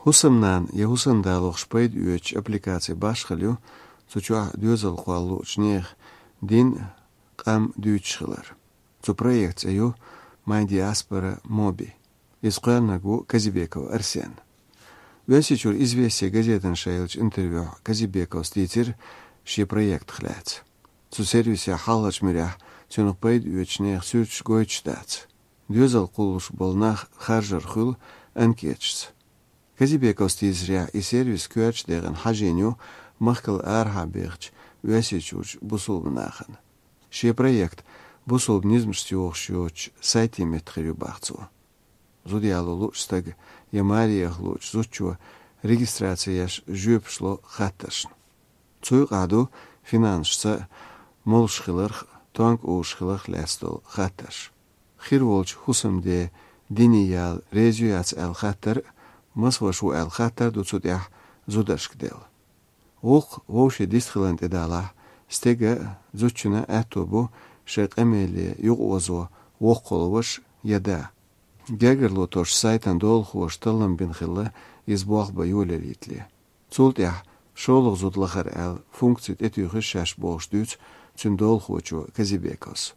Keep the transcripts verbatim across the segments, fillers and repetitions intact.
ХӀусамнана я ХӀусамда лохуш пайда оьцучу аппликаци башхалла ю цу чохь доьзал кхолла луучу нехан дин, къам дуьйцуш хилар. Цу проектан цӀе ю My Diaspora Mobi. Иза кхоьллинарг ву Казибеков Арсен. Оьрсийчуьра «Известия» газетана ша еллачу интервьюхь Казибековс дийцира шен проектах лаьцна. Цу сервисехь хьалхарчу муьрехь цуьнах пайда оьцучу нехан суьрташ гойтуш дац. Доьзал кхуллуш болу нах харжар хуьлу анкеташца. Казибековс дийцарехь, и сервис коьртачу декъана хьажийна ю махкал арахьа бехачу Оьрсийчуьрчу бусулба нахана. Шен проект бусулба низамашца йогӀуш йоцучу сайтийн метта хир ю боху цо. Зуда яло луучу стага я маре яха луучу зудчо регистраци еш жоьпаш ло хаттаршна. Цу юкъахь ду финансашца молуш хиларх, тонка узуш хиларх лаьцна долу хаттарш. Хир волчу хӀусамден дине яла реза ю яц аьлла хаттар а, маса ваша ву аьлла хаттар а ду цу тӀехь зударшка делла. ГӀуллакх вовшийн дистхиларна тӀедалахь, стеган а, зудчун а аьтто бу шайн къамеле юкъаозо воккхалла ваша я да. Гергарло тосучу сайтан долахоша таллам бина хилла иза болх бан йолаялийтале. Цул тӀаьхьа шолгӀа зуда лахара аьлла функци тӀетуьйхира шаьш бохуш дуьйцу цуьнан долахочо Казибековс.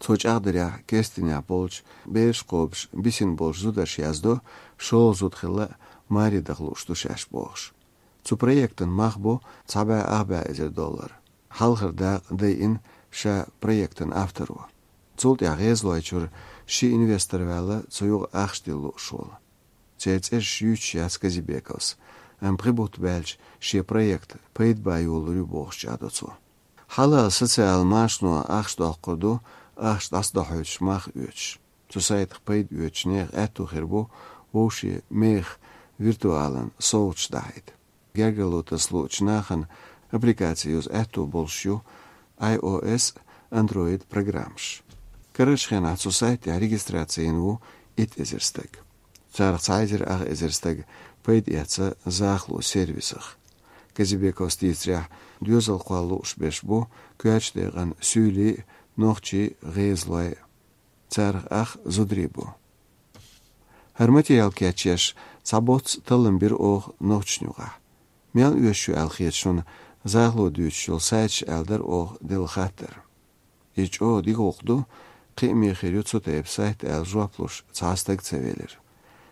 Цо чӀагӀдарехь, керстанехь болчу, бераш кхобуш, бисина болчу зударша яздо, шолгӀа зуда хилла а, маре даха лууш ду шаьш бохуш. Цу проектан мах бу цхьа бӀе ах бӀе эзар доллар. Хьалхара дакъа дайина ша проектан авторо. Цул тӀаьхьа ГӀезалойчуьра ши инвестор ваьлла цу юкъа ахча дилла лууш волу. Церан цӀераш юьйцуш яц Казибековс, амма пхи бутт баьлча шен проект пайда бан йолалур ю бохуш чӀагӀдо цо. Хьалал социал машано ахча доккхур ду, ахча дӀасадохьуьйтуш мах оьцуш. Цу сайтах пайда оьцучу нехан аьтто хир бу вовшийн мехах виртуалан совгӀаташ дахьийта. Гергарло таса луучу нахана аппликаци юза аьтто болуш ю iOS, Android программаш. Карарчу хенахь цу сайт тӀехь регистраци йина ву итт эзар стаг. Царах цхьа эзар ах эзар стаг пайда эцна захало сервисах. Казибековс дийцарехь, доьзал кхолла лууш берш бу коьртачу декъана суьйлий а, нохчий а, гӀезалой а. Царах ах зударий бу. ХӀара материал кечъеш цхьа боцца таллам бира оха нохчашна юкъахь. Мел оьшуш ю аьлла хета шуна захало дуьйцуш йолу сайташ аьлла дара оха делла хаттар. Иза чӀогӀа дика гӀуллакх ду, кхиаме хир ю цу тайпа сайт аьлла жоп луш цхьа а стаг ца велира.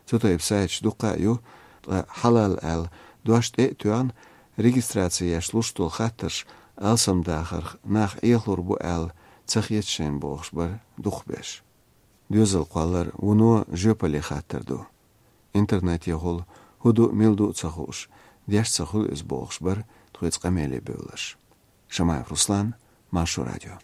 Цу тайпа сайташ дуккха а ю, ткъа хьалал аьлла дош тӀе а тоьхна, регистраци еш луш долу хаттарш алсамдахарх нах Ӏехалур бу аьлла ца хета шайна бохуш бара дукхахберш. Доьзал кхоллар вуно жоьпалле хаттар ду. Интернетехула хӀун ду, мила ду а ца хууш, деш ца хуьлу иза бохуш бара тхоьца къамеле бевлларш. Шамаев Руслан, Маршо радио.